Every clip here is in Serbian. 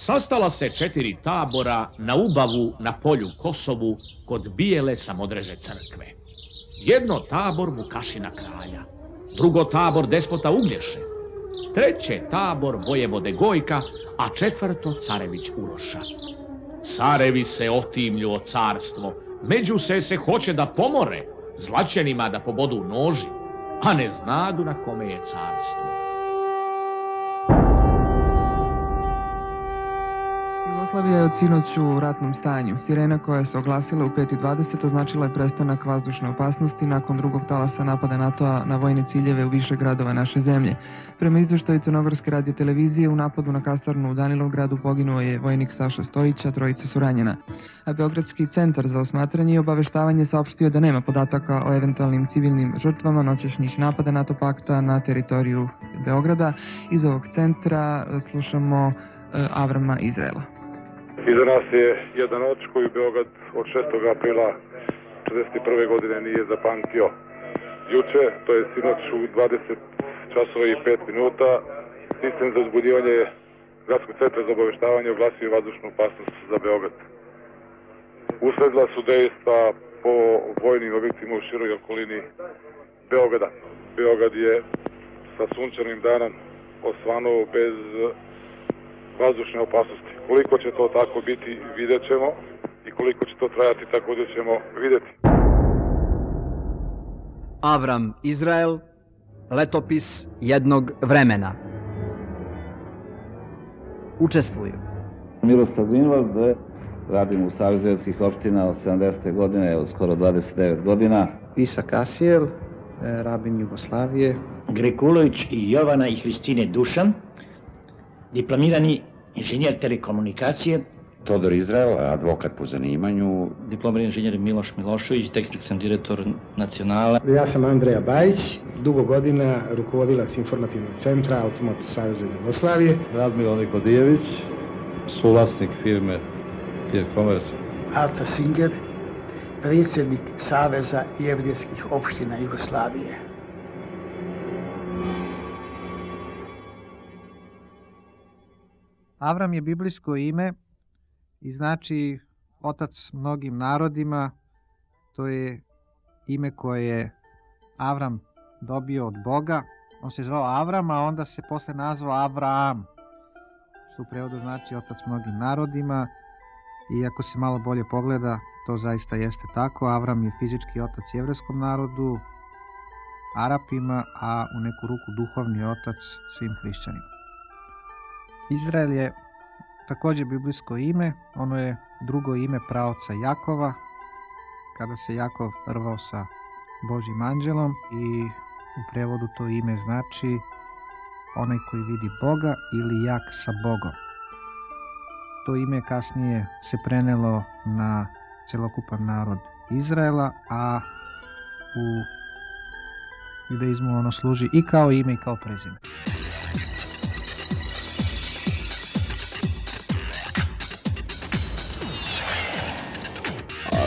Sastala se 4 tabora na Ubavu na polju Kosovu kod Bijele Samodreže crkve. Jedno tabor Vukašina kralja, drugo tabor despota Uglješe, treće tabor vojevode Gojka, a četvrto carević Uroša. Carevi se otimlju o carstvo, među se hoće da pomore, zlaćenima da pobodu noži, a ne znadu na kome je carstvo. Jugoslavija je od sinoć u ratnom stanju. Sirena koja se oglasila u 5:20 označila je prestanak vazdušne opasnosti nakon drugog talasa napada NATO-a na vojne ciljeve u više gradova naše zemlje. Prema izveštaju Crnogorske radiotelevizije, u napadu na kasarnu u Danilovgradu poginuo je vojnik Saša Stojić, a 3 su ranjena. A Beogradski centar za osmatranje i obaveštavanje saopštio da nema podataka o eventualnim civilnim žrtvama noćašnjih napada NATO pakta na teritoriju Beograda. Iz ovog centra slušamo Avrama Izraela. Iza nas je jedan noć koju Beograd od 6. aprila 1941. godine nije zapamtio. Juče, to je sinoć u 20 časova i 5 minuta, sistem za uzbudivanje Gradskog centra za obaveštavanje oglasio vazdušnu opasnost za Beograd. Usledila su dejstva po vojnim objektima u široj okolini Beograda. Beograd je sa sunčanim danom osvanuo bez vazdušne opasnosti. Koliko će to tako biti, vidjet ćemo, i koliko će to trajati, također ćemo vidjeti. Avram Izrael, letopis jednog vremena. Učestvuju Miroslav Grunwald, radim u Savezu evropskih opština od 70. godine, evo skoro 29 godina. Isak Asijel, rabin Jugoslavije. Grekulović i Jovana i Hristine Dušan, diplomirani inženjer telekomunikacije. Todor Izrael, advokat po zanimanju. Diplomirani inženjer Miloš Milošević, tehnički sam direktor Nacionala. Ja sam Andreja Bajić, dugo godina rukovodilac informativnog centra Automoto Saveza Jugoslavije. Radmilo Nikodijević, suvlasnik firme Pier Commerce. Aca Singer, predsjednik Saveza jevrijskih opština Jugoslavije. Avram je biblijsko ime i znači otac mnogim narodima. To je ime koje je Avram dobio od Boga. On se zvao Avram, a onda se posle nazvao Avraam, što u prevodu znači otac mnogim narodima. I ako se malo bolje pogleda, to zaista jeste tako. Avram je fizički otac jevrejskom narodu, Arapima, a u neku ruku duhovni otac svim hrišćanima. Izrael je također biblijsko ime, ono je drugo ime praoca Jakova, kada se Jakov rvao sa Božjim anđelom, i u prevodu to ime znači onaj koji vidi Boga ili jak sa Bogom. To ime kasnije se prenelo na celokupan narod Izraela, a u judaizmu ono služi i kao ime i kao prezime.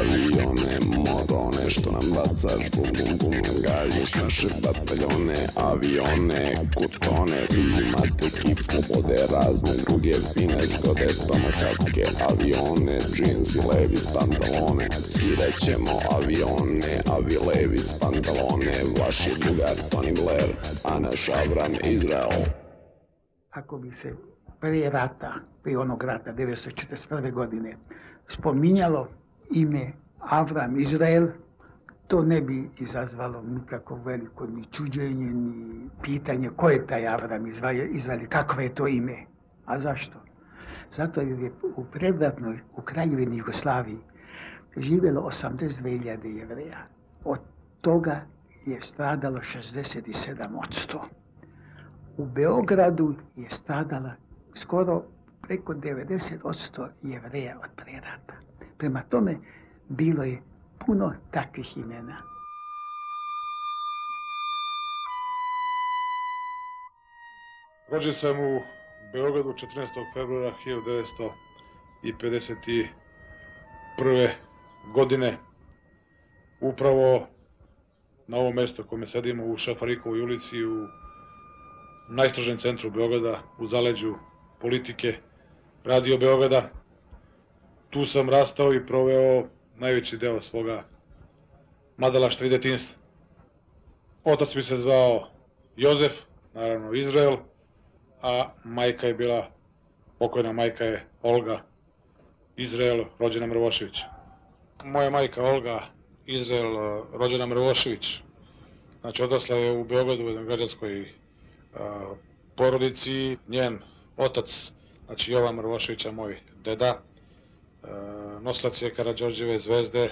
Avione, morone, što nam bacaš, bum bum bum, galjiš naše bataljone. Avione, kutone, imate kip, slobode, razne druge fine zgode, tomahawke, avione, džinsi, levis, pantalone. Skirećemo avione, avi levis, pantalone, vaši drugar Tony Blair, a naš Avram Izrael. Ako bi se prije rata, prije onog rata 1941. godine, spominjalo ime Avram Izrael, to ne bi izazvalo nikako veliko ni čuđenje, ni pitanje ko je taj Avram Izrael, kakvo je to ime. A zašto? Zato jer je u predratnoj, u Kraljevini Jugoslaviji živjelo 82.000 Jevreja. Od toga je stradalo 67%. U Beogradu je stradala skoro preko 90% Jevreja od prerata. Prema tome, bilo je puno takvih imena. Rođen sam u Beogradu 14. februara 1951. godine, upravo na ovom mjestu kome sedimo u Šafarikovoj ulici, u najstrožem centru Beograda, u zaleđu politike, radio Beograda. Tu sam rastao i proveo najveći deo svoga mladalaštva i detinjstva. Otac mi se zvao Jozef, naravno Izrael, a majka je bila, pokojna majka je Olga Izrael, rođena Mrvošević. Moja majka Olga Izrael, rođena Mrvošević, znači odrasla je u Beogradu u jednoj građanskoj porodici. Njen otac, znači Jovan Mrvoševića, moj deda, nosilac je Karađorđeve zvezde,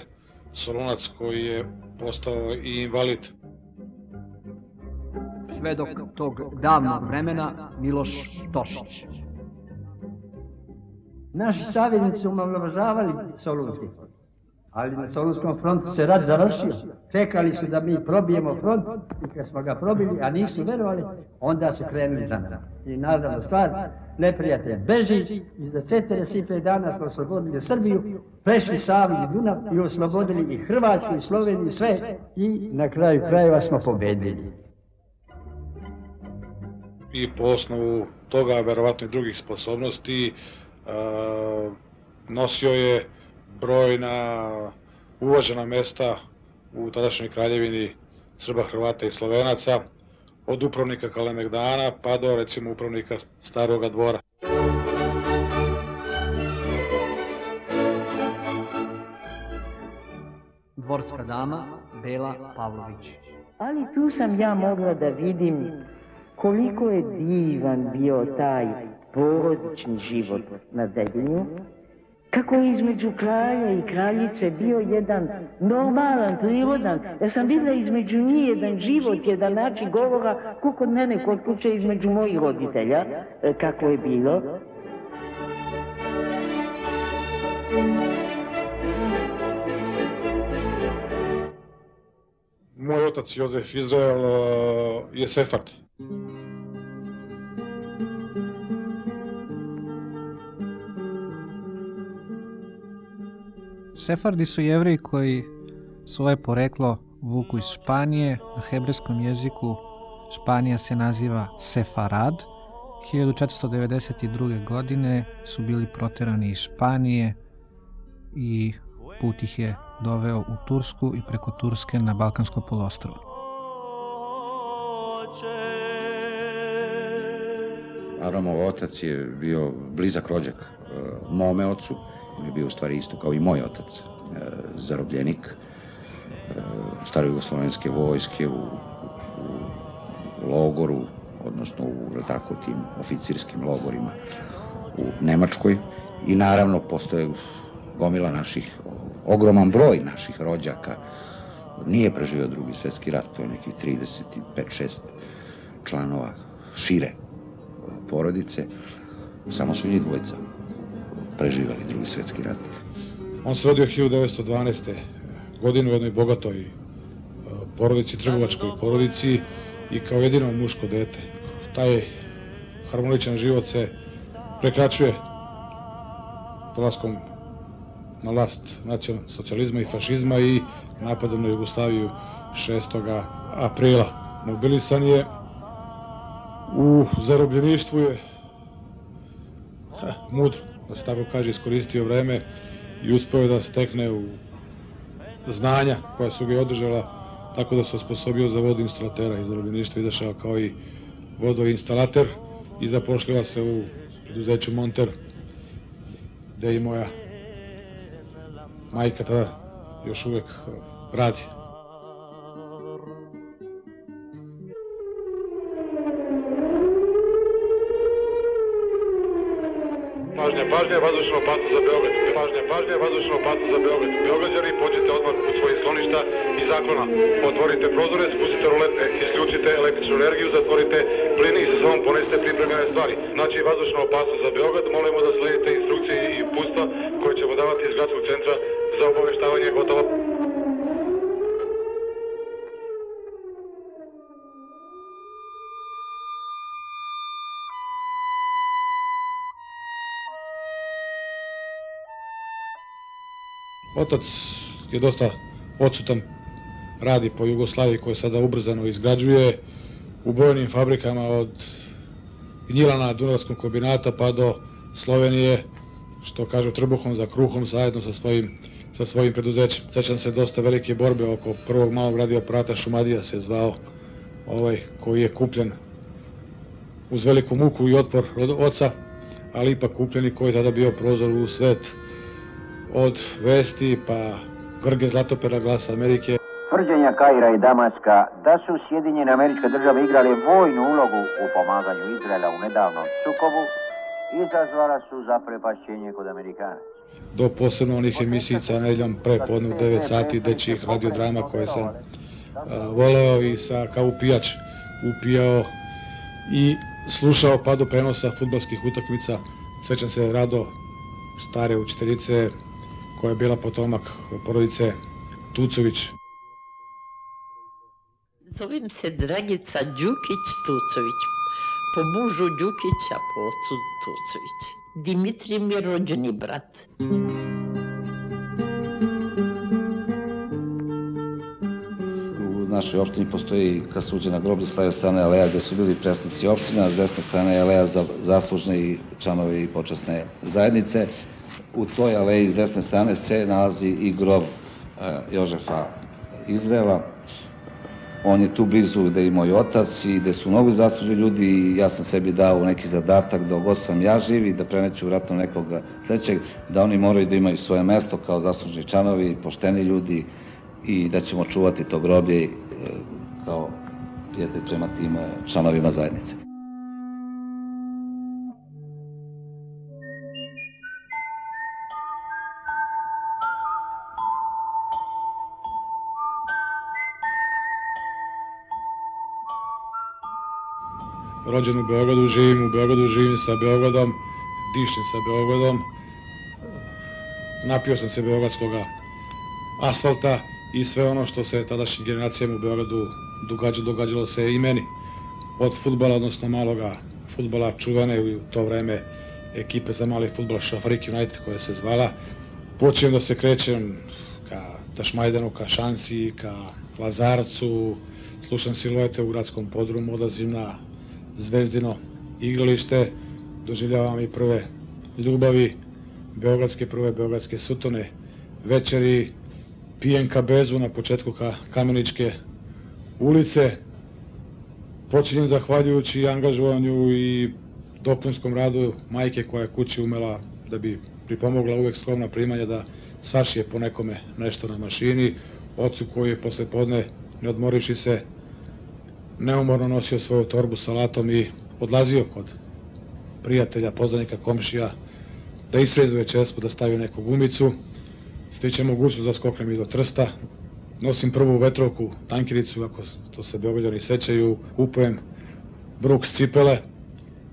Solunac koji je postao i invalid. Svedok tog davnog vremena Miloš Tošić. Naši savjednici su omalovažavali Solunski front, ali na Solunskom frontu se rat završio. Čekali su da mi probijemo front i kad smo ga probili, a nisu verovali, onda su krenuli za nas. I naravno stvar, neprijatelj beži i za 45 dana smo oslobodili Srbiju, prešli Savu i Dunav i oslobodili i Hrvatsku i Sloveniju i sve i na kraju krajeva smo pobedili. I po osnovu toga, verovatno i drugih sposobnosti, nosio je brojna uvažena mesta u tadašnjoj kraljevini Srba, Hrvata i Slovenaca, od upravnika Kalemegdana pa do recimo upravnika Staroga dvora. Dvorska dama Bela Pavlović. Ali tu sam ja mogla da vidim koliko je divan bio taj porodični život na Dedinju, kako je između kralja i kraljice bio jedan normalan, prirodan. Ja sam videla između njih jedan život, jedan način govora, ko kod mene kod kuće između mojih roditelja, kako je bilo. Moj otac Jozef Izrael je Sefard. Sefardi su Jevreji koji svoje poreklo vuku iz Španije. Na hebrejskom jeziku Španija se naziva Sefarad. 1492. godine su bili proterani iz Španije i put ih je doveo u Tursku i preko Turske na Balkansko poluostrvo. Avramov otac je bio blizak rođak mome ocu. On je bio u stvari isto kao i moj otac, zarobljenik starojugoslovenske vojske u logoru, odnosno u tim oficirskim logorima u Nemačkoj. I naravno postoje gomila naših, ogroman broj naših rođaka nije preživio Drugi svjetski rat, to je nekih 35-6 članova šire porodice, samo su njih dvojica preživali Drugi svjetski rat. On se rodio 1912. godine u jednoj bogatoj porodici, trgovačkoj porodici i kao jedino muško dete. Taj harmoničan život se prekračuje dolaskom na vlast nacionalsocijalizma i fašizma i napadom na Jugoslaviju 6. aprila. Mobilisan je, u zarobljeništvu je mudro, da se tako kaže, iskoristio vreme i uspeo da stekne u znanja koja su ga održala, tako da se osposobio za vodoinstalatera. Iz zarobljeništva izašao kao i vodoinstalater i zapošljava se u preduzeću Monter, gde i moja majka tada još uvek radi. Pažnja, vazdušna opasnost za Beograd. Pažnja, vazdušna opasnost za Beograd. Beograđani, pođite odmah u svojih skloništa i zaklona. Otvorite prozore, spustite rolete, isključite električnu energiju, zatvorite plin i sa sobom ponesite pripremljene stvari. Znači, vazdušna opasnost za Beograd, molimo da sledite instrukcije i uputstva koje ćemo davati iz gradskog centra za obaveštavanje. Gotovo. Otac je dosta odsutan, radi po Jugoslaviji koja sada ubrzano izgrađuje u brojnim fabrikama od Gnjilana, Dunavskog kombinata pa do Slovenije, što kažu trbuhom za kruhom, zajedno sa svojim preduzećem. Sećam se dosta velike borbe oko prvog malog radioaparata, Šumadija se zvao, koji je kupljen uz veliku muku i otpor od oca, ali ipak kupljen i koji je tada bio prozor u svet. Od vesti pa Grge Zlatopera, Glasa Amerike. Tvrđenja Kaira i Damaska da su Sjedinjene Američke Države igrale vojnu ulogu u pomaganju Izraela u nedavnom sukobu izazvala su zaprepašćenje kod Amerikanaca. Do posebno onih emisijica nedeljom prepodne u 9 sati dečjih radiodrama koje sam voleo i kao upijač upijao i slušao pa do prenosa fudbalskih utakmica. Sećam se rado stare učiteljice koja je bila potomak porodice Tucović. Zovem se Dragica Đukić-Tucović, po mužu Đukića, po ocu Tucović. Dimitrij mi je rođeni brat. U našoj opštini postoji kasuđena groblje s leve strane aleja gde su bili predstavnici opština, a s desne strane je aleja za zaslužne i članovi i počasne zajednice. U toj aleji s desne strane se nalazi i grob Jožefa Izraela. On je tu blizu gde je i moj otac i gde su mnogo zaslužni ljudi i ja sam sebi dao neki zadatak dok god sam ja živ i da preneću vratno nekog sledećeg, da oni moraju da imaju svoje mesto kao zaslužni članovi, pošteni ljudi i da ćemo čuvati to groblje kao prijatelj prema tim članovima zajednice. Rođen u Beogradu, živim sa Beogradom, dišem sa Beogradom. Napio sam se beogradskog asfalta i sve ono što se tadašnjim generacijama u Beogradu događalo se i meni. Od fudbala, odnosno maloga fudbala, čuvene u to vreme ekipe za mali fudbal Šafarik United koja se zvala. Počinjem da se krećem ka Tašmajdanu, ka Šansi, ka Lazarcu, slušam Siluete u gradskom podrumu, odlazim na Zvezdino igralište, doživljavam i prve ljubavi, prve beogradske sutone, večeri, pijem kabezu na početku Kameničke ulice. Počinjem zahvaljujući angažovanju i dopunskom radu majke koja je kući umela da bi pripomogla uvek skromna primanja da sašije po nekome nešto na mašini, ocu koji je posle podne, ne odmorivši se, neumorno nosio svoju torbu sa salatom i odlazio kod prijatelja, poznanika, komšija, da isrezuje čespu, da stavi neku gumicu. Stiče mogućnost da skoknem i do Trsta. Nosim prvu vetrovku, tankiricu, ako to se Beograđani sećaju, kupujem Brooks cipele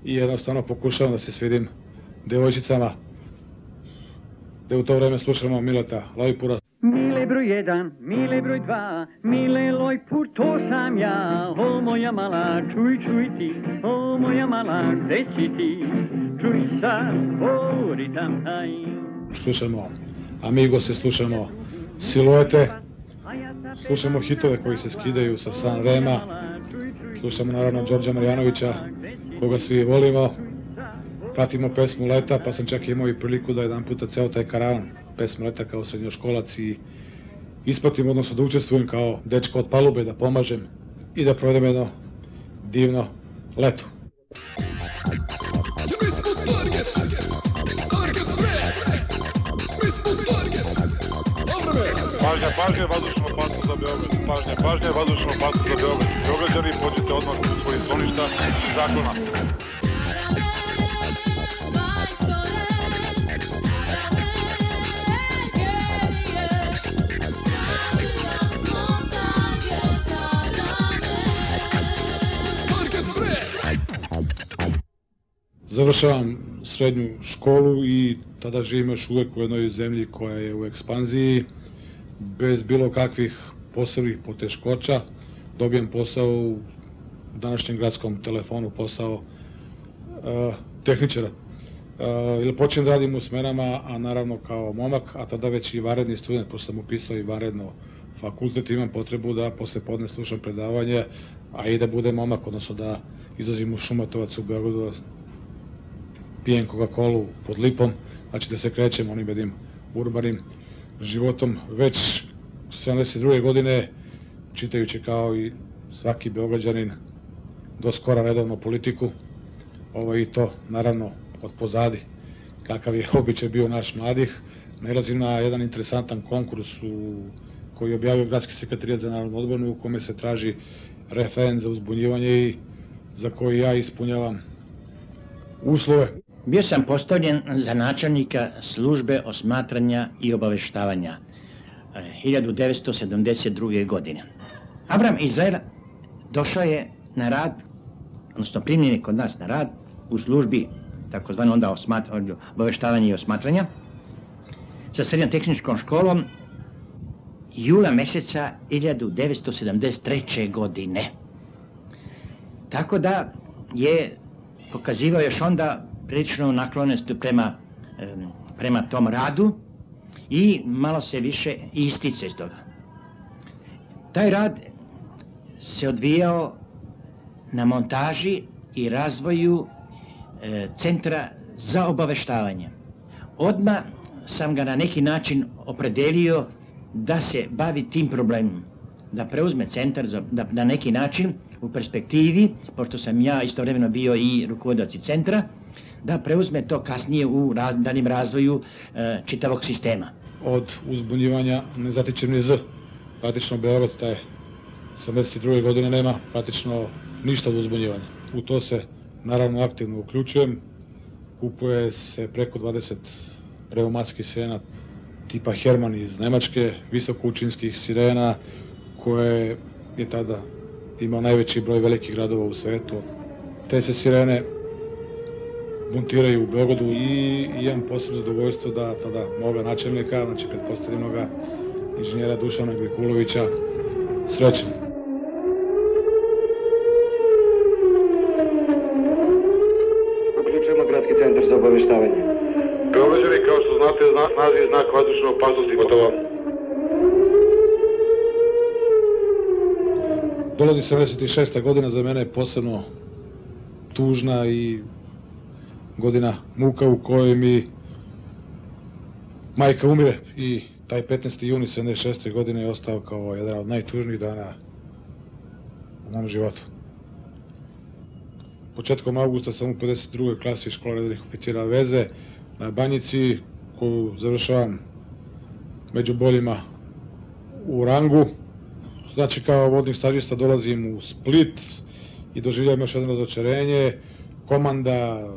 i jednostavno pokušavam da se svidim devojčicama, gde u to vreme slušamo Mileta Lojpura. Mile broj 1, mile broj 2, mile Lojpur, to sam ja. O moja mala, čuj ti, o moja mala, gde si ti? Čuj sad, o ritam taj. Slušamo Amigose, slušamo Siluete, slušamo hitove koji se skidaju sa San Rema, slušamo naravno Đorđa Marjanovića, koga svi volimo, pratimo pesmu Leta, pa sam čak imao i priliku da jedan puta ceo taj karavan pesmu Leta kao srednjoškolac i ispratim, odnosno da učestvujem kao dečko od palube, da pomažem i da provedem jedno divno leto. Pažnja, vazdušna opasnost za Beograd. Pažnja, vazdušna opasnost za Beograd. Beograđani, pođite odmah u svojih skloništa i zaklona. Završavam srednju školu i tada živim još uvek u jednoj zemlji koja je u ekspanziji, bez bilo kakvih posebnih poteškoća. Dobijem posao u današnjem gradskom telefonu, posao tehničara. Počnem da radim u smenama, a naravno kao momak, a tada već i vanredni student, pošto sam upisao i vanredno fakultet, imam potrebu da posle podne slušam predavanje, a i da budem momak, odnosno da izlazim u Šumatovac u Beogradu, pijem Coca-Colu pod lipom, znači da se krećem onim jednim urbanim životom. Već 72. godine, čitajući kao i svaki Beograđanin do skora redovno politiku, i to naravno od pozadi, kakav je običaj bio naš mladih, nailazim na jedan interesantan konkurs koji je objavio Gradski sekretarijat za narodnu odbranu, u kome se traži referent za uzbunjivanje i za koji ja ispunjavam uslove. Bio sam postavljen za načelnika službe osmatranja i obaveštavanja 1972. godine. Avram Izrael došao je na rad, odnosno primljen je kod nas na rad u službi takozvano onda obaveštavanja i osmatranja sa srednjom tehničkom školom jula meseca 1973. godine. Tako da je pokazivao još onda prilično naklonost prema tom radu i malo se više ističe iz toga. Taj rad se odvijao na montaži i razvoju centra za obaveštavanje. Odmah sam ga na neki način opredelio da se bavi tim problemom, da preuzme centar da na neki način u perspektivi, pošto sam ja istovremeno bio i rukovodilac centra, da preuzme to kasnije u daljem razvoju čitavog sistema. Od uzbunjivanja ne zatiče ni Z. Praktično Beograd taj 72. godine nema praktično ništa od uzbunjivanja. U to se naravno aktivno uključujem. Kupuje se preko 20 pneumatskih sirena tipa Herman iz Nemačke, visokoučinskih sirena koje je tada imao najveći broj velikih gradova u svetu. Te se sirene montiraju u Beogradu i imam posebno zadovoljstvo da tada moga načelnika, znači pretpostavljenoga inženjera Dušana Grikulovića, srećem. Uključujemo Gradski centar za obaveštavanje. Beograđani, kao što znate, naziv je znak vazdušne opasnosti, gotovo. Dolazi 76. godina, za mene je posebno tužna i godina muka u kojoj mi majka umire i taj 15. juni 76. godine je ostao kao jedan od najtužnijih dana u mom životu. Početkom augusta sam u 52. klasi škola redovnih oficira veze na Banjici, koju završavam među boljima u rangu. Znači, kao vodnik stažista dolazim u Split i doživljavam još jedno razočarenje. Komanda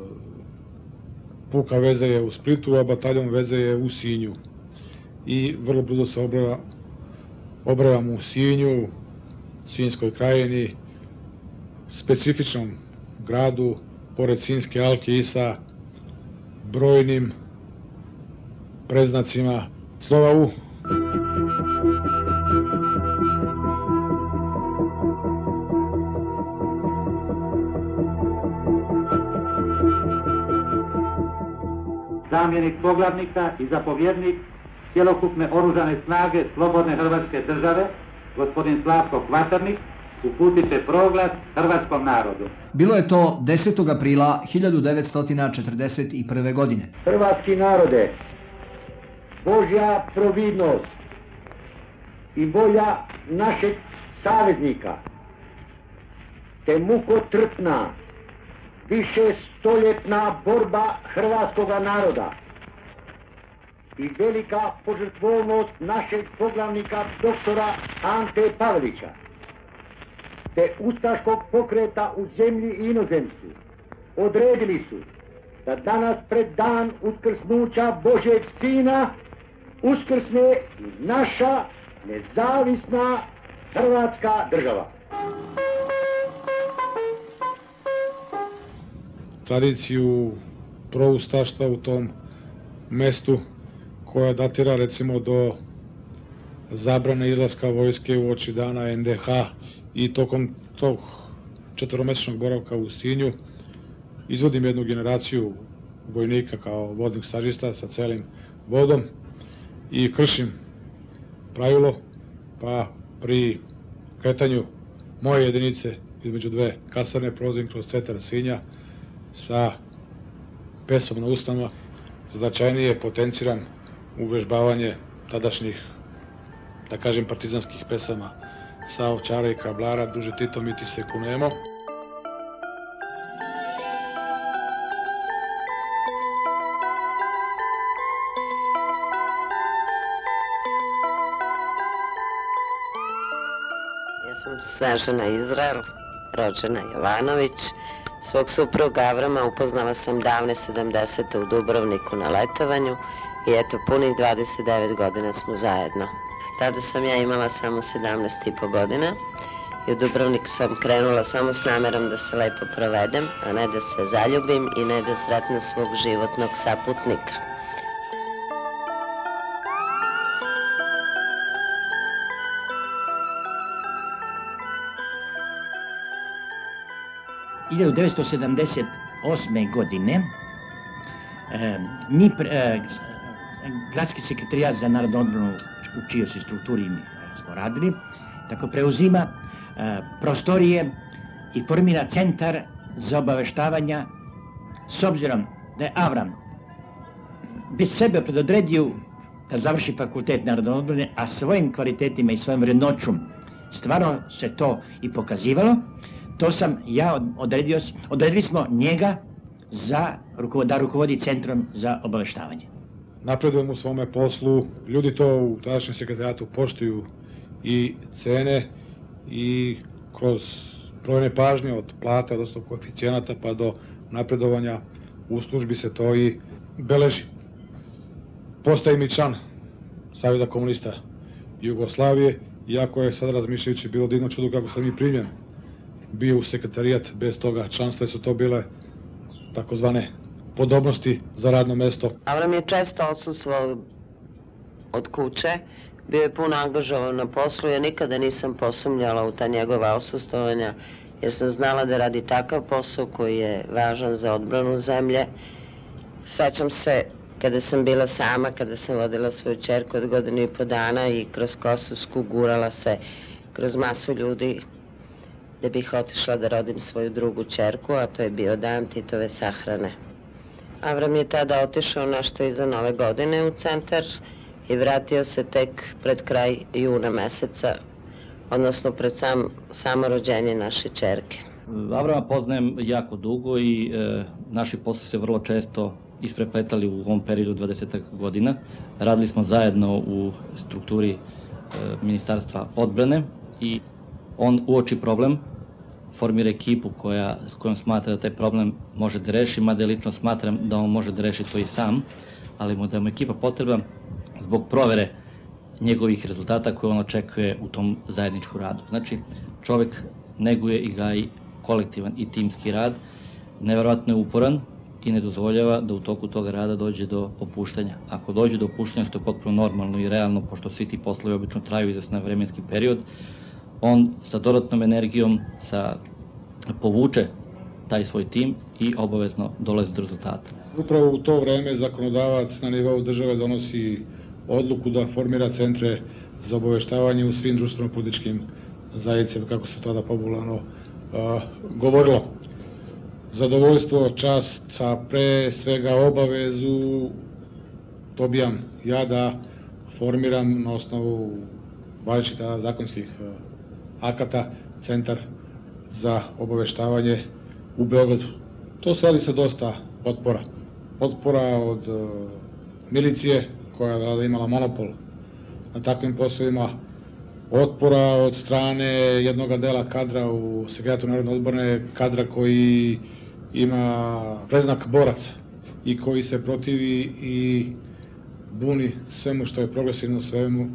puka veze je u Splitu, a bataljon veze je u Sinju. I vrlo brzo se obravam u Sinju, Sinjskoj krajini, specifičnom gradu, pored Sinjske alke i sa brojnim predznacima slova U. Zamjenik poglavnika i zapovjednik cjelokupne oružane snage Slobodne Hrvatske države, gospodin Slavko Kvaternik, uputite proglas hrvatskom narodu. Bilo je to 10. aprila 1941. godine. Hrvatski narode, Božja providnost i volja našeg saveznika, te mukotrpna, višestoljetna borba hrvatskoga naroda i velika požrtvovnost našeg poglavnika doktora Ante Pavelića, te ustaškog pokreta u zemlji i inozemstvu odredili su da danas pred dan uskrsnuća Božjeg Sina uskrsne i naša nezavisna Hrvatska država. Tradiciju proustaštva u tom mestu koja datira recimo do zabrane izlaska vojske u oči dana NDH i tokom tog 4-mesečnog boravka u Sinju izvodim jednu generaciju vojnika kao vodnik stažista sa celim vodom i kršim pravilo, pa pri kretanju moje jedinice između dve kasarne prolazim kroz centar Sinja sa pesovna ustanova, značajnije potenciran uvežbavanje tadašnjih, da kažem, partizanskih pesama sa Ovčara i Kablara, Duže Tito, mi ti se kunemo. Ja sam Snežana Izrael, rođena Jovanović. Svog supruga Avrama upoznala sam davne 70. u Dubrovniku na letovanju i eto, punih 29 godina smo zajedno. Tada sam ja imala samo 17,5 godina i u Dubrovnik sam krenula samo s namerom da se lepo provedem, a ne da se zaljubim i ne da sretnem svog životnog saputnika. U 1978. godine Gradski sekretarijat za narodnu odbranu, u čijoj se strukturi smo radili, tako preuzima prostorije i formira centar za obaveštavanja, s obzirom da je Avram već sebe predodredio da završi fakultet narodne odbrane, a svojim kvalitetima i svojom vrednoću stvarno se to i pokazivalo. To sam ja odredili smo njega da rukovodi centrom za obaveštavanje. Napredujemo u svome poslu, ljudi to u tadašnjem sekretarijatu poštuju i cene i kroz brojne pažnje od plata, odnosno koeficijenata pa do napredovanja u službi se to i beleži. Postajem i član Saveza komunista Jugoslavije, iako je sada razmišljajući bilo divno čudo kako sam i primljen bio u sekretarijat, bez toga članstva su to bile takozvane podobnosti za radno mesto. Avram je često odsustvovao od kuće, bio je puno angažovan na poslu, ja nikada nisam posumnjala u ta njegova odsustvovanja, jer sam znala da radi takav posao koji je važan za odbranu zemlje. Sećam se kada sam bila sama, kada sam vodila svoju ćerku od 1,5 godina i kroz Kosovsku gurala se kroz masu ljudi da bih otišla da rodim svoju drugu ćerku, a to je bio dan Titove sahrane. Avram je tada otišao nešto iza Nove godine u centar i vratio se tek pred kraj juna meseca, odnosno pred samo rođenje naše ćerke. Avrama poznajem jako dugo i naši posli se vrlo često isprepletali u ovom periodu 20 godina. Radili smo zajedno u strukturi Ministarstva odbrane i on uoči problem, formira ekipu s kojom smatra da taj problem može da reši, mada lično smatram da on može da reši to i sam, ali da mu ekipa potreba zbog provere njegovih rezultata koje on očekuje u tom zajedničkom radu. Znači, čovek neguje i gaji kolektivan i timski rad, neverovatno je uporan i ne dozvoljava da u toku toga rada dođe do opuštanja. Ako dođe do opuštanja, što je potpuno normalno i realno, pošto svi ti poslovi obično traju izvestan vremenski period, on sa dodatnom energijom povuče taj svoj tim i obavezno dolazi do rezultata. Upravo u to vreme zakonodavac na nivou države donosi odluku da formira centre za obaveštavanje u svim društveno-političkim zajednicama, kako se tada popularno govorilo. Zadovoljstvo, čast, a pre svega obavezu dobijam ja da formiram na osnovu važećih zakonskih akata centar za obaveštavanje u Beogradu. To se radi sa dosta otpora. Otpora od milicije koja je imala monopol na takvim poslovima, otpora od strane jednog dela kadra u Sekretarijatu narodne odbrane, kadra koji ima predznak boraca i koji se protivi i buni svemu što je progresivno, svemu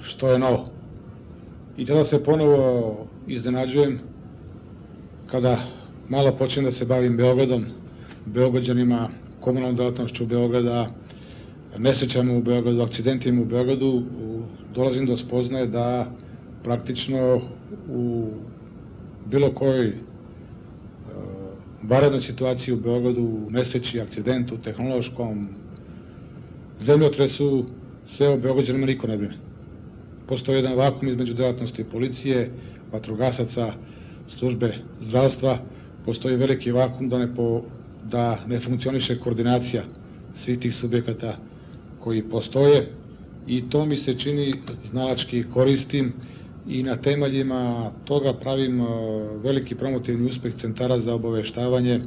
što je novo. I tada se ponovo iznenađujem kada malo počnem da se bavim Beogradom, Beograđanima, komunalnom delatnošću Beograda, nesrećama u Beogradu, akcidentima u Beogradu, dolazim do spoznaje da praktično u bilo kojoj vanrednoj situaciji u Beogradu, nesreći, akcidentu, tehnološkom, zemljotresu, sve o Beograđanima niko ne brine. Postoji jedan vakum između delatnosti policije, vatrogasaca, službe zdravstva, postoji veliki vakum da ne da ne funkcioniše koordinacija svih tih subjekata koji postoje i to mi se čini znalački koristim i na temeljima toga pravim veliki promotivni uspeh centara za obaveštavanje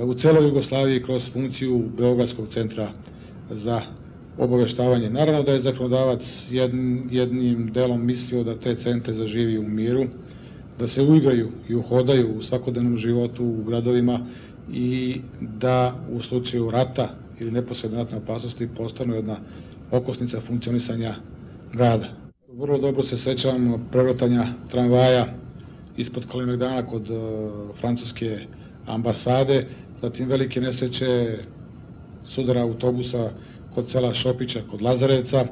u celoj Jugoslaviji kroz funkciju Beogradskog centra za obaveštavanje. Naravno da je zakonodavac jednim delom mislio da te centre zaživi u miru, da se uigraju i uhodaju u svakodnevnom životu u gradovima i da u slučaju rata ili neposredne ratne opasnosti postanu jedna okosnica funkcionisanja grada. Vrlo dobro se sećam prevrtanja tramvaja ispod Kalemegdana kod francuske ambasade, zatim velike nesreće sudara autobusa kod sela Šopića, kod Lazarevca,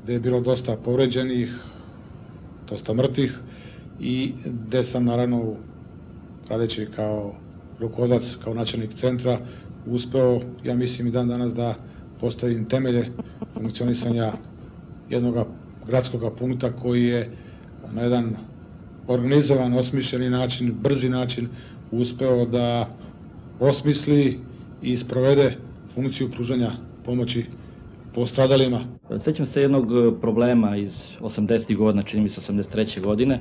gde je bilo dosta povređenih, dosta mrtvih i gde sam naravno, radeći kao rukovodilac, kao načelnik centra, uspeo, ja mislim i dan danas, da postavim temelje funkcionisanja jednog gradskog punkta koji je na jedan organizovan, osmišljeni način, brzi način uspeo da osmisli i sprovede funkciju pružanja pomoći postradalima. Sećam se jednog problema iz 80. godina, čini mi se 83. godine,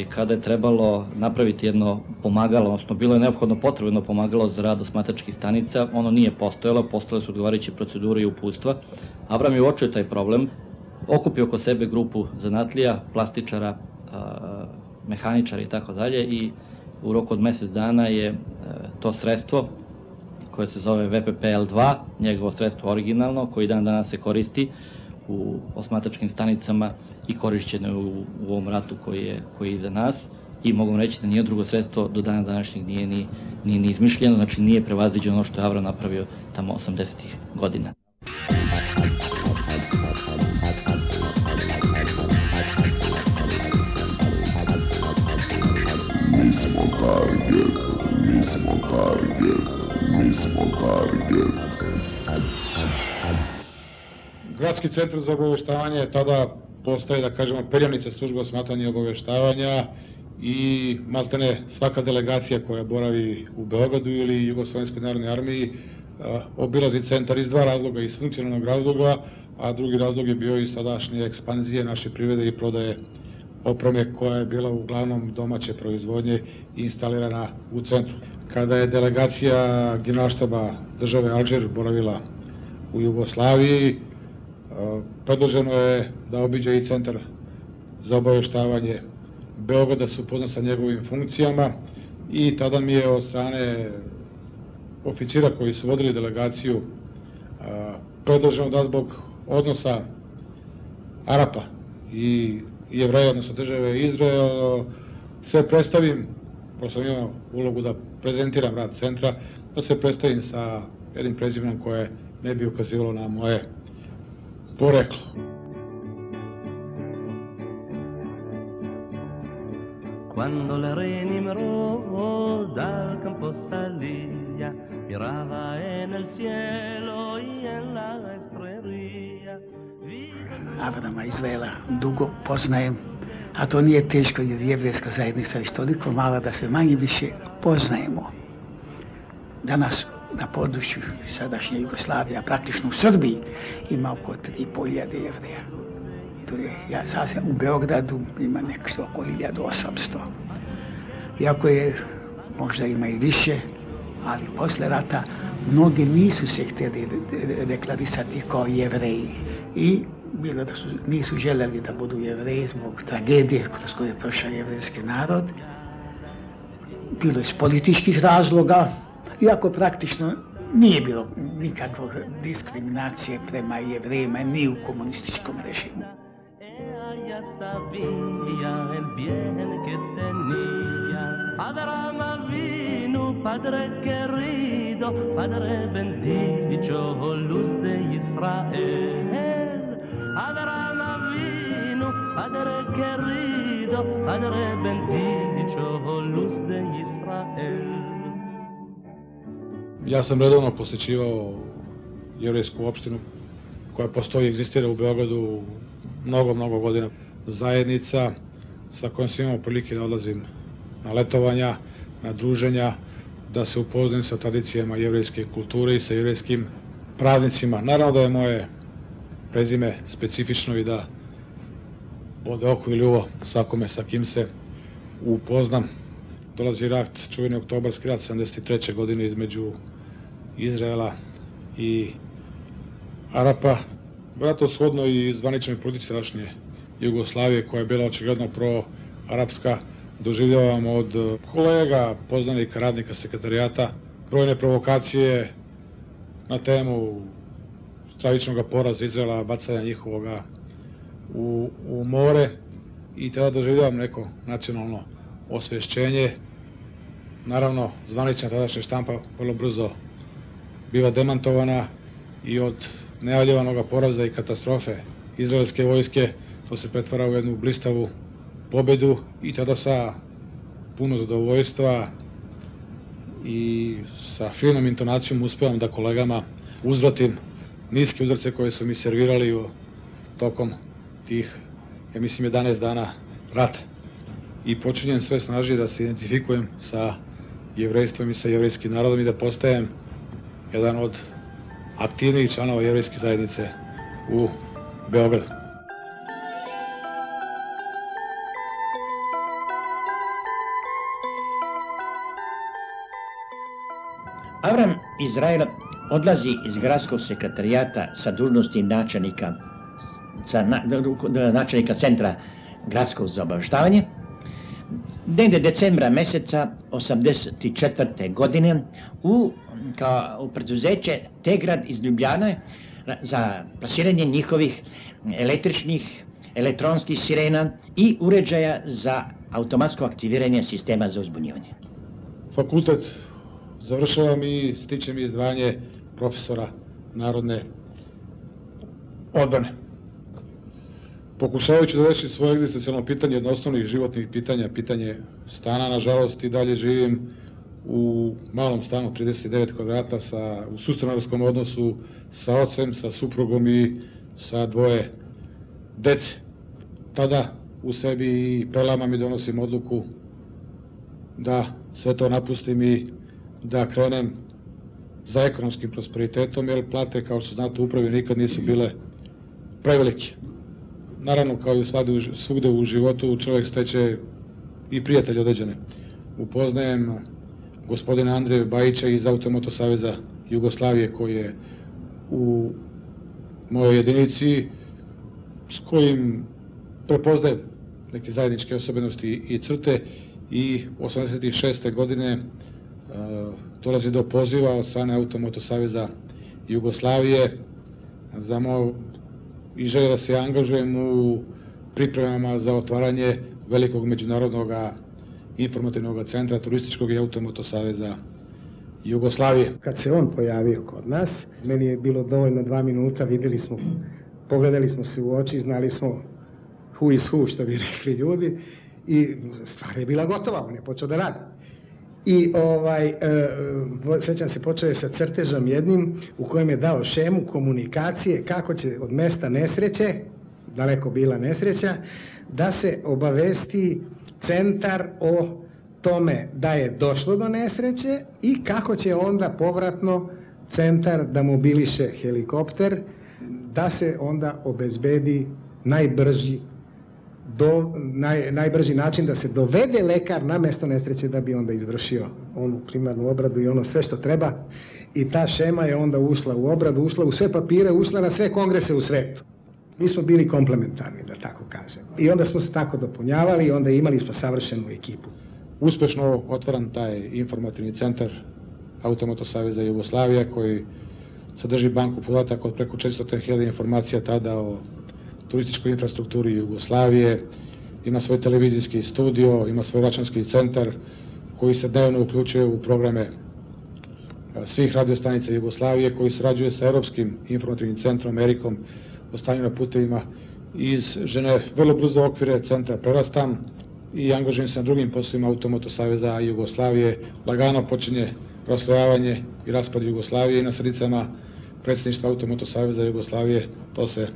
kada je trebalo napraviti jedno pomagalo, odnosno bilo je neophodno potrebno pomagalo za rad osmatračkih stanica, ono nije postojalo, postojale su odgovarajuće procedure i uputstva. Avram je uočio taj problem, okupio oko sebe grupu zanatlija, plastičara, mehaničara i tako dalje i u roku od mesec dana je to sredstvo koje se zove VPPL2, njegovo sredstvo originalno, koji dan danas se koristi u osmatračkim stanicama i korišćeno u ovom ratu koji je iza nas. I mogu reći da nije drugo sredstvo do dana današnjeg nije ni izmišljeno, znači nije prevaziđeno ono što je Avram napravio tamo 80. godina. Mi smo target, mi smo target, mi smo target. Gradski centar za obaveštavanje tada postaje, da kažemo, perjanica službe osmatranja i obaveštavanja i maltene svaka delegacija koja boravi u Beogradu ili Jugoslovenskoj narodnoj armiji obilazi centar iz dva razloga, iz funkcionalnog razloga, a drugi razlog je bio iz tadašnje ekspanzije naše privrede i prodaje opreme koja je bila uglavnom domaće proizvodnje i instalirana u centru. Kada je delegacija Generalštaba države Alžir boravila u Jugoslaviji, predloženo je da obiđe i centar za obaveštavanje Beograda, se upozna sa njegovim funkcijama i tada mi je od strane oficira koji su vodili delegaciju predloženo da zbog odnosa Arapa i Jevreja, odnosno države Izrael, se predstavim, pošto sam imao ulogu da prezentiram rad centra, da se predstavim sa jednim prezimenom koje ne bi ukazivalo na moje poreklo. Quando le renimero dal campo salía, miraba en el cielo y en la estrella. Avrama Izraela dugo poznajem, a to nije teško jer jevrejska zajednica je toliko mala da se manje više poznajemo. Danas na području sadašnje Jugoslavije, a praktično u Srbiji, ima oko 3.500 jevreja. Ja sasvim u Beogradu ima nekako oko 1800. Iako je, možda ima i više, ali posle rata mnogi nisu se htjeli deklarisati kao jevreji i bilo da nisu željeli da budu jevreji zbog tragedije kroz koju je prošao jevrejski narod. Bilo iz političkih razloga, iako praktično nije bilo nikakve diskriminacije prema jevrejima ni u komunističkom režimu. Ella sabía el bien que tenía. Abraham Avinu, Padre querido, Padre bendito, luz de Israel. Abraham Avinu, Padre querido, Padre bendito, luz de Israel. Ja sam redovno posećivao jevrejsku opštinu koja postoji i egzistira u Beogradu mnogo godina. Zajednica sa kojom sam imao prilike da odlazim na letovanja, na druženja, da se upoznam sa tradicijama jevrejske kulture i sa jevrejskim praznicima. Naravno da je moje prezime specifično i da bode oko ili uvo svakome sa kim se upoznam. Dolazi rat, čuveni oktobarski rat 73. godine između Izraela i Arapa. Vratno shodno i zvaničnoj politici tadašnje Jugoslavije, koja je bila očigledno pro-arapska, doživljavam od kolega, poznanika, radnika sekretarijata brojne provokacije na temu stravičnog poraza Izraela, bacanja njihovoga u more, i tada doživljavam neko nacionalno osvešćenje. Naravno, zvanična tadašnja štampa vrlo brzo biva demantovana i od najavljivanog poraza i katastrofe izraelske vojske to se pretvara u jednu blistavu pobedu, i tada sa puno zadovoljstva i sa finom intonacijom uspevam da kolegama uzvratim niske uzorce koje su mi servirali tokom tih, ja mislim, 11 dana rata. I počinjem sve snažnije da se identifikujem sa jevrejstvom i sa jevrejskim narodom i da postajem jedan od aktivnijih članova jevrejske zajednice u Beogradu. Avram Izrael odlazi iz gradskog sekretarijata sa dužnosti načelnika centra gradskog za obaveštavanje. Negde decembra meseca 1984. godine u preduzeće Tegrad iz Ljubljane za plasiranje njihovih elektronskih sirena i uređaja za automatsko aktiviranje sistema za uzbunjivanje. Fakultet završavam i stičem izdvajanje profesora narodne odbrane. Pokušavajući da rešim svoje egzistencijalno pitanje, jedno osnovnih životnih pitanja, pitanje stana, nažalost, i dalje živim u malom stanu, 39 kvadrata, u sustanarskom odnosu sa ocem, sa suprugom i sa dvoje dece. Tada u sebi i prelamam i donosim odluku da sve to napustim i da krenem za ekonomskim prosperitetom, jer plate, kao što znate, u upravi nikad nisu bile prevelike. Naravno, kao i svugde u životu, čovjek steče i prijatelje određene. Upoznajem gospodina Andreja Bajića iz Automoto saveza Jugoslavije, koji je u mojoj jedinici, s kojim prepoznajem neke zajedničke osobenosti i crte, i 86. godine dolazi do poziva od strane Automoto saveza Jugoslavije i želje da se angažujem u pripremama za otvaranje velikog međunarodnog informativnog centra turističkog i Automoto saveza Jugoslavije. Kad se on pojavio kod nas, meni je bilo dovoljno 2 minuta, videli smo, pogledali smo se u oči, znali smo who is who, što bi rekli ljudi, i stvar je bila gotova, on je počeo da radi. I sećam se, počeo je sa crtežom jednim u kojem je dao šemu komunikacije kako će od mesta nesreće, daleko bila nesreća, da se obavesti centar o tome da je došlo do nesreće i kako će onda povratno centar da mobiliše helikopter, da se onda obezbedi najbrži način da se dovede lekar na mesto nesreće da bi onda izvršio onu primarnu obradu i ono sve što treba. I ta šema je onda ušla u obradu, ušla u sve papire, ušla na sve kongrese u svetu. Mi smo bili komplementarni, da tako kažem. I onda smo se tako dopunjavali i onda imali smo savršenu ekipu. Uspešno otvaran taj informativni centar Automoto saveza Jugoslavija, koji sadrži banku podataka od preko 400.000 informacija tada o turističkoj infrastrukturi Jugoslavije, ima svoj televizijski studio, ima svoj računski centar koji se dnevno uključuje u programe svih radiostanica Jugoslavije, koji sarađuje sa Europskim informativnim centrom, Amerikom, o stanju na putevima iz Ženeve. Vrlo brzo okvire centra prerastam i angažujem se na drugim poslovima Automoto saveza Jugoslavije. Lagano počinje raslojavanje i raspad Jugoslavije i na sredicama predsjedništva Automoto saveza Jugoslavije to se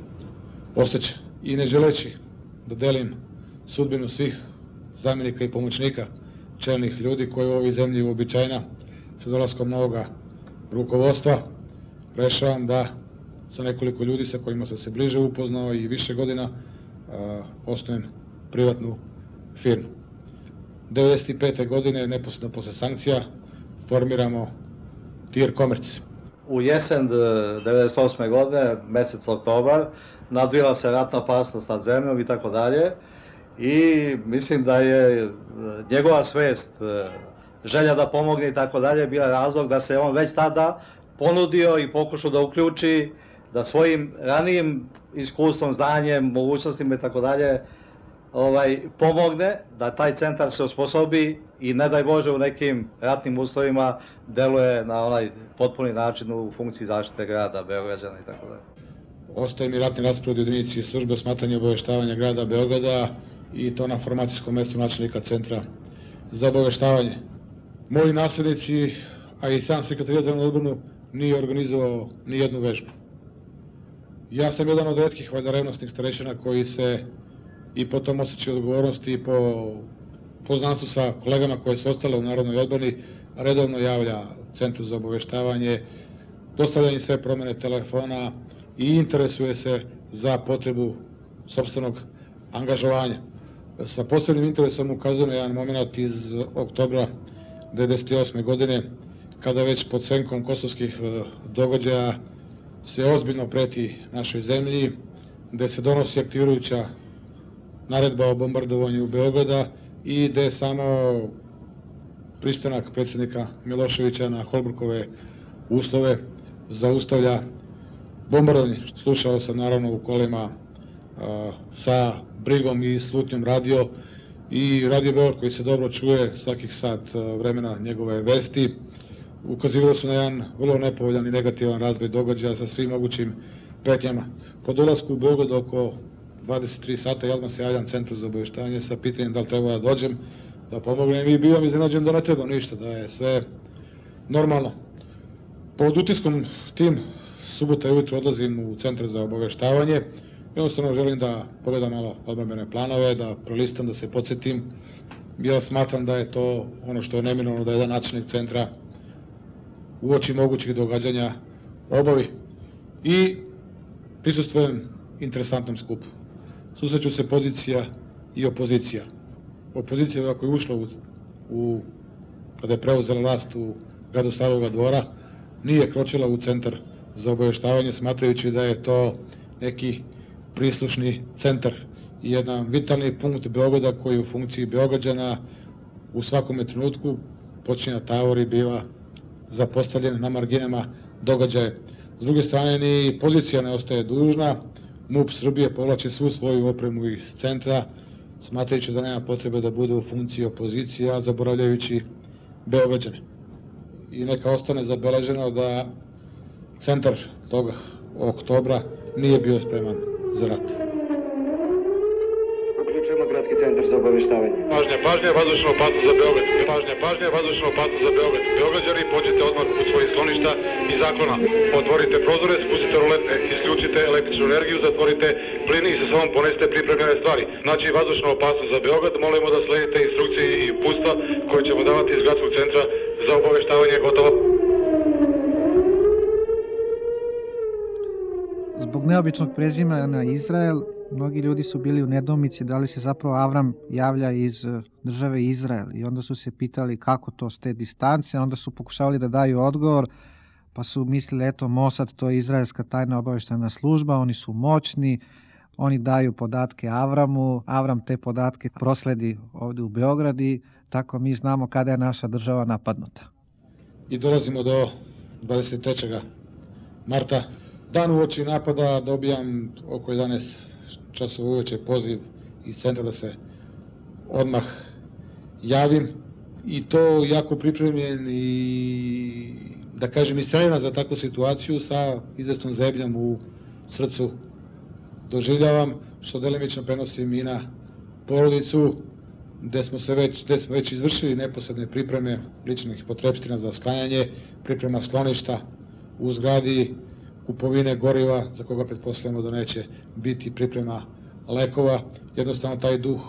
ostaće. I ne želeći da delim sudbinu svih zamjenika i pomoćnika čelnih ljudi, koja je u ovoj zemlji uobičajena, sa dolaskom novoga rukovodstva rešavam da sa nekoliko ljudi sa kojima sam se bliže upoznao i više godina osnujem privatnu firmu. 1995. godine, neposredno posle sankcija, formiramo TIR Komerc. U jesen 1998. godine, mesec oktobar, nadvila se ratna opasnost nad zemljom i tako dalje. I mislim da je njegova svest, želja da pomogne i tako dalje, bila razlog da se on već tada ponudio i pokušao da uključi, da svojim ranijim iskustvom, znanjem, mogućnostima i tako dalje pomogne da taj centar se osposobi i ne daj Bože u nekim ratnim uslovima deluje na onaj potpuni način u funkciji zaštite grada, Beograđana i tako dalje. Ostaje mi ratni raspored u jedinici službe osmatranja i obaveštavanja grada Beograda i to na formacijskom mestu načelnika centra za obaveštavanje. Moji naslednici, a i sam sekretarijat za odbranu, nije organizovao ni jednu vežbu. Ja sam jedan od retkih valjda revnosnih starešina koji se i po tom osjećaju odgovornosti i po poznanstvu sa kolegama koje su ostale u Narodnoj odbrani redovno javlja Centru za obaveštavanje, dostavlja im sve promene telefona i interesuje se za potrebu sopstvenog angažovanja. Sa posebnim interesom ukazujem na jedan moment iz oktobra 1998. godine, kada već pod senkom kosovskih događaja se ozbiljno preti našoj zemlji, gde se donosi aktivirajuća naredba o bombardovanju Beograda i gde samo pristanak predsjednika Miloševića na Holbrukove uslove zaustavlja bombardovanje. Slušao sam naravno u kolima sa brigom i slutnjom radio i Radio Beograd koji se dobro čuje svakih sat vremena njegove vesti. Ukazivali su na jedan vrlo nepovoljan i negativan razvoj događaja sa svim mogućim pretnjama. Po dolasku u Beograd oko 23 sata i odmah se javljam Centru za obaveštavanje sa pitanjem da li treba da dođem, da pomognem i bivam iznenađen da ne treba ništa, da je sve normalno. Pod utiskom tim subota ujutro odlazim u Centar za obaveštavanje. Jednostavno želim da pogledam malo odbrambene planove, da prelistam, da se podsjetim. Ja smatram da je to ono što je neminovno da jedan načelnik centra uoči mogućih događanja obavi. I prisustvujem interesantnom skupu. Susreću se pozicija i opozicija. Opozicija ako je ušla kada je preuzela vlast u gradu Staroga Dvora, nije kročila u Centar za obaveštavanje, smatrajući da je to neki prislušni centar i jedan vitalni punkt Beograda koji u funkciji Beograđana u svakome trenutku počinje da tavori, biva zapostavljen na marginama događaja. S druge strane, ni pozicija ne ostaje dužna, MUP Srbije povlači svu svoju opremu iz centra, smatrajući da nema potrebe da bude u funkciji opozicije, a zaboravljajući Beograđane. I neka ostane zabeleženo da centar toga oktobra nije bio spreman za rat. Uključujemo Gradski centar za obaveštavanje. Pažnja, vazdušna opasnost za Beograd. Pažnja, vazdušna opasnost za Beograd. Beograđani, pođite odmah u svojih skloništa i zaklona. Otvorite prozore, spustite rulete, isključite električnu energiju, zatvorite plin i sa sobom ponesite pripremljene stvari. Znači, vazdušna opasnost za Beograd, molimo da sledite instrukcije i uputstva koje ćemo davati iz Gradskog centra za obaveštavanje. Gotovo. Zbog neobičnog prezimena Izrael, mnogi ljudi su bili u nedoumici da li se zapravo Avram javlja iz države Izrael i onda su se pitali kako to s te distance, onda su pokušavali da daju odgovor, pa su mislili eto Mossad, to je izraelska tajna obaveštajna služba, oni su moćni, oni daju podatke Avramu, Avram te podatke prosledi ovdje u Beograd i tako mi znamo kada je naša država napadnuta. I dolazimo do 23. marta. Dan uoči napada dobijam oko 11 časova uveče poziv iz centra da se odmah javim i to jako pripremljen i da kažem istrajena za takvu situaciju sa izvesnom zebljom u srcu doživljavam, što delimično prenosim i na porodicu gde smo već izvršili neposredne pripreme ličnih potrepština za sklanjanje, priprema skloništa u zgradi, kupovine goriva, za koga pretpostavljamo da neće biti priprema lekova. Jednostavno taj duh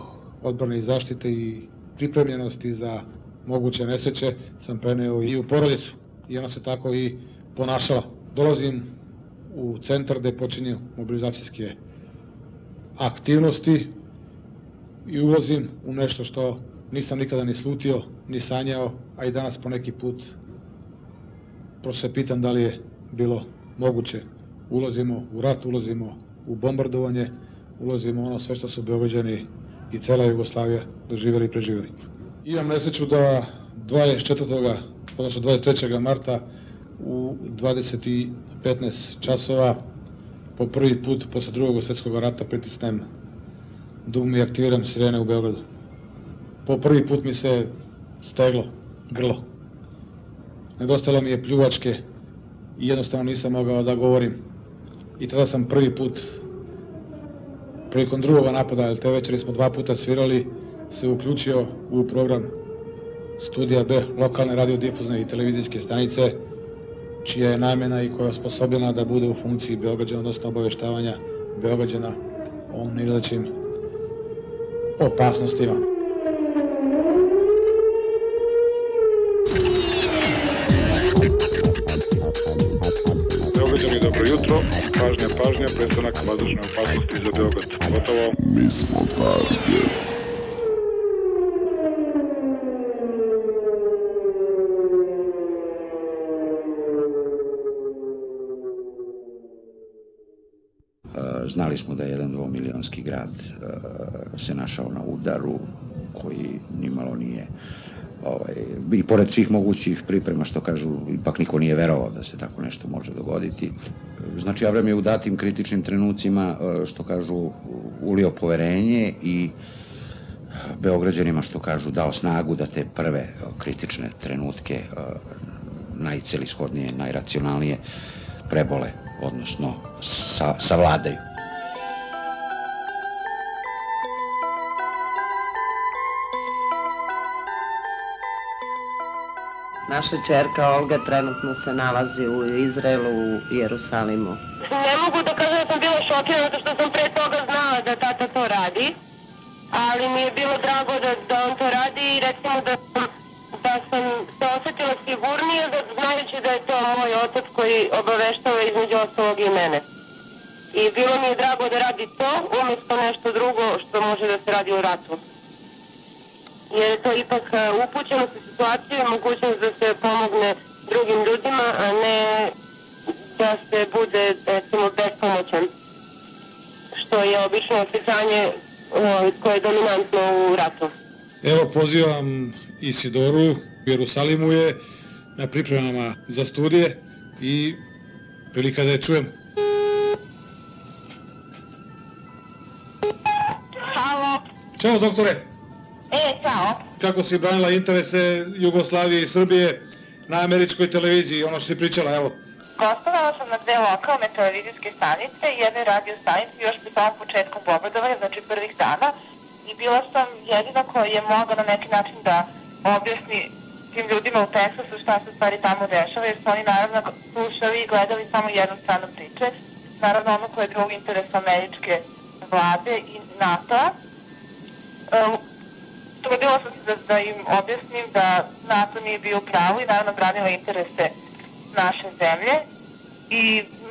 odbrane i zaštite i pripremljenosti za moguće nesreće sam preneo i u porodicu i ona se tako i ponašala. Dolazim u centar gde počinju mobilizacijske aktivnosti i ulazim u nešto što nisam nikada ni slutio, ni sanjao, a i danas po neki put prosto se pitam da li je bilo moguće. Ulazimo u rat, ulazimo u bombardovanje, ulazimo u ono sve što su Beograđani i cela Jugoslavija doživjeli i preživjeli. Imam nesreću da 24. odnosno 23. marta u 20:15 časova po prvi put posle drugog svjetskog rata pritisnem dugme i aktiviram sirene u Beogradu. Po prvi put mi se steglo grlo. Nedostajalo mi je pljuvačke i jednostavno nisam mogao da govorim. I tada sam prvi put, prilikom drugog napada, jer te večeri smo 2 puta svirali, se uključio u program Studija B, lokalne radiodifuzne i televizijske stanice, čija je namjena i koja je osposobljena da bude u funkciji Beograđana, odnosno obaveštavanja Beograđana o nailazećim opasnostima. Beograđani, dobro jutro. Pažnja, prestanak vazdušne opasnosti za Beograd. Gotovo. Mi smo target. Znali smo da je jedan 2-milionski grad se našao na udaru koji nimalo nije i pored svih mogućih priprema, što kažu, ipak niko nije verovao da se tako nešto može dogoditi. Znači, Avram je u datim kritičnim trenucima, što kažu, ulio poverenje i Beograđanima, što kažu, dao snagu da te prve kritične trenutke najcelishodnije, najracionalnije prebole, odnosno savladaju. Naša čerka Olga trenutno se nalazi u Izraelu, u Jerusalimu. Ne mogu da kažem da sam bila šokirana zato što sam pre toga znala da tata to radi, ali mi je bilo drago da on to radi i recimo da sam se osetila sigurnije znajući da je to moj otac koji obaveštava između ostalog i mene. I bilo mi je drago da radi to umjesto nešto drugo što može da se radi u ratu. Jer je to ipak upućenost u situaciju i mogućnost da se pomogne drugim ljudima, a ne da se bude, recimo, bespomoćan, što je obično osjećanje koje je dominantno u ratu. Evo, pozivam Isidoru, u Jerusalimu je na pripremama za studije i prilika da je čujem. Halo. Ćao, doktore. Ćao. Kako si branila interese Jugoslavije i Srbije na američkoj televiziji, ono što si pričala, evo. Gostovala sam na 2 lokalne televizijske stanice i jednoj radio stanici još pri tom početku bombardovanja, znači prvih dana. I bila sam jedina koja je mogla na neki način da objasni tim ljudima u Teksasu šta se stvari tamo dešava, jer su oni naravno slušali i gledali samo jednu stranu priče. Naravno ono koje je bilo u interesu američke vlade i NATO-a. Trudila sam se da im objasnim da NATO nije bio u pravu i naravno branila interese naše zemlje. I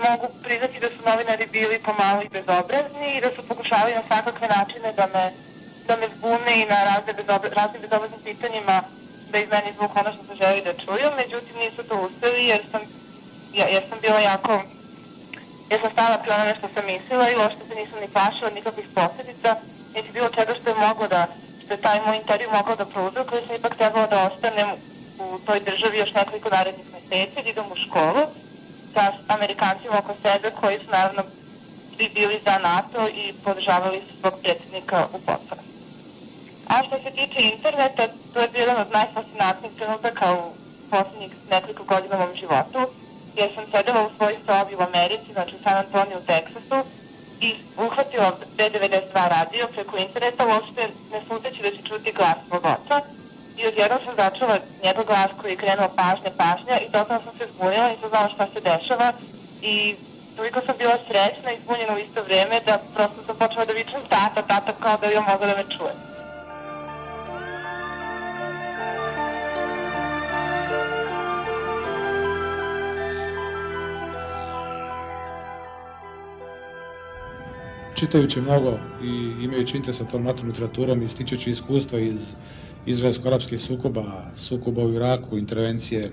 mogu priznati da su novinari bili pomalo i bezobrazni i da su pokušavali na svakakve načine da me zbune i na raznim bezobraznim pitanjima da iz meni zvuk ono što se želi da čuju. Međutim, nisu to uspeli jer sam bila jako... Jer sam stala pri onome što sam mislila i uopšte se nisam ni plašila nikakvih posljedica, niti bilo čega što je moglo da... što je taj moj intervju mogao da prouzrokuje, sam ipak trebala da ostanem u toj državi još nekoliko narednih meseci, da idem u školu sa Amerikancima oko sebe koji su naravno svi bili za NATO i podržavali su svog predsjednika u potpunosti. A što se tiče interneta, to je bio jedan od najfascinantnijih trenutaka u posljednjih nekoliko godina u mom životu, jer sam sedela u svojoj sobi u Americi, znači u San Antoniju u Teksasu, i uhvatila B92 radio preko interneta, uopšte ne sluteći da će čuti glas svog oca. I odjednom sam začula njegov glas koji je krenuo pažnja i totalno sam se zbunila, nisam znala šta se dešava i toliko sam bila srećna i zbunjena u isto vrijeme da prosto sam počela da vičem tata, kao da bi on mogla da me čuje. čitajući mnogo i imajući interes sa tom NATO literaturom i stičući iskustva iz izraelsko-arapskih sukoba u Iraku, intervencije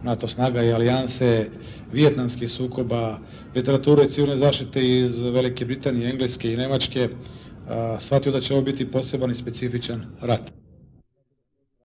NATO snaga i alijanse, vijetnamskih sukoba, literature civilne zaštite iz Velike Britanije, Engleske i Nemačke, shvatio da će ovo biti poseban i specifičan rat.